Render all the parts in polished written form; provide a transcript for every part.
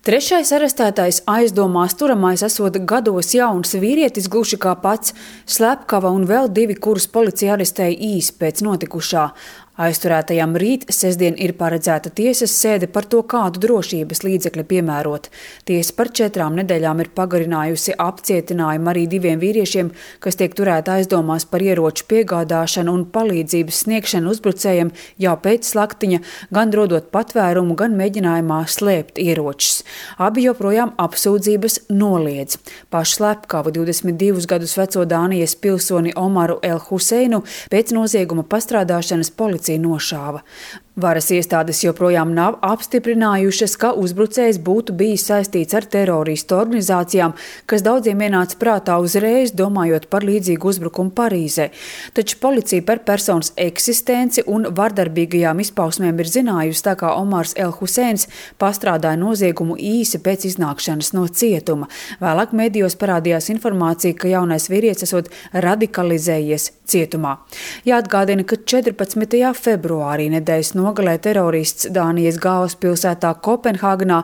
Trešais arestētais aizdomās turamais esot gados jauns vīrietis, gluži kā pats Slepkava, un vēl divi, kurus policija arestēja īsi pēc notikušā. Aizturētajam rīt sestdien ir paredzēta tiesas sēde par to, kādu drošības līdzekļu piemērot. Tiesa par 4 nedēļām ir pagarinājusi apcietinājumu arī diviem vīriešiem, kas tiek turēti aizdomās par ieroču piegādāšanu un palīdzības sniegšanu uzbrucējiem jau pēc slaktiņa, gan rodot patvērumu, gan mēģinājumā slēpt ieročus. Abi joprojām apsūdzības noliedz. Pašu Slepkavu 22 gadus veco Dānijas pilsoni Omaru El-Huseinu pēc nozieguma pastrādāšanas policija nošāva. Varas iestādes joprojām nav apstiprinājušas, ka uzbrucējs būtu bijis saistīts ar teroristu organizācijām, kas daudziem ienāca prātā uzreiz, domājot par līdzīgu uzbrukumu Parīzē. Taču policija par personas eksistenci un vardarbīgajām izpausmēm ir zinājusi, tā kā Omars El-Huseins pastrādāja noziegumu īsi pēc iznākšanas no cietuma. Vēlāk medijos parādījās informācija, ka jaunais vīrietis esot radikalizējies cietumā. Jāatgādina, ka 14. februārī nedēļas nogalē terorists Dānijas galvaspilsētā Kopenhāgenā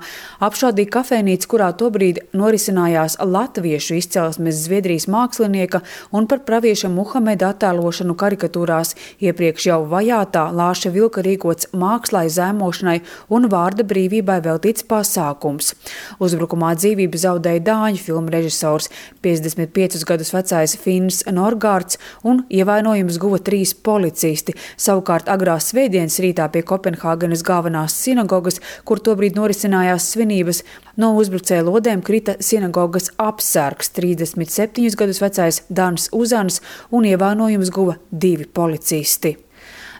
apšaudīja kafejnīcu, kurā tobrīd norisinājās latviešu izcelsmes Zviedrijas mākslinieka un par pravieša Muhameda attēlošanu karikatūrās iepriekš jau vajātā Lāša Vilka rīkots mākslai, zemošanai un vārda brīvībai veltīts pasākums. Uzbrukumā dzīvību zaudēja dāņu filmu režisors 55 gadus vecais Finns Norgārds un ievainojumus guva 3 policisti. Savukārt agrā svētdienas rītā pie Kopenhāgenes galvenās sinagogas, kur tobrīd norisinājās svinības, no uzbrucēja lodēm krita sinagogas apsargs 37 gadus vecais Dans Uzans un ievainojumus guva 2 policisti.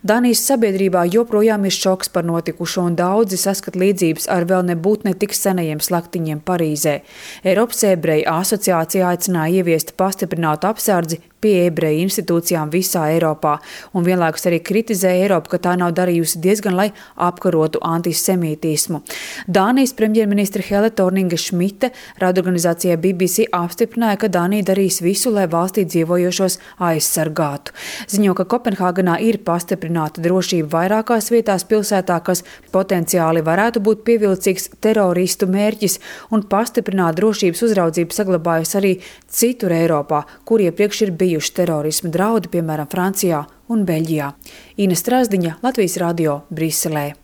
Dānijas sabiedrībā joprojām ir šoks par notikušo, un daudzi saskat līdzības ar vēl nebūt ne tik senajiem slaktiņiem Parīzē. Eiropas ebreju asociācija aicināja ieviest pastiprinātu apsardzi pie ebreju institūcijām visā Eiropā, un vienlaikus arī kritizēja Eiropu, ka tā nav darījusi diezgan, lai apkarotu antisemītismu. Dānijas premjerministre Helle Thorning-Schmidt radioorganizācijai BBC apstiprināja, ka Dānija darīs visu, lai valstī dzīvojošos aizsargātu. Ziņo, ka Kopenhāgenā ir pastiprināta drošība vairākās vietās pilsētā, kas potenciāli varētu būt pievilcīgs teroristu mērķis, un pastiprināta drošības uzraudzība saglabājas arī citur Eiropā, kur iepriekš ir bijuši terorisma draudi, piemēram, Francijā un Beļģijā. Ina Strasdiņa, Latvijas radio, Briselē.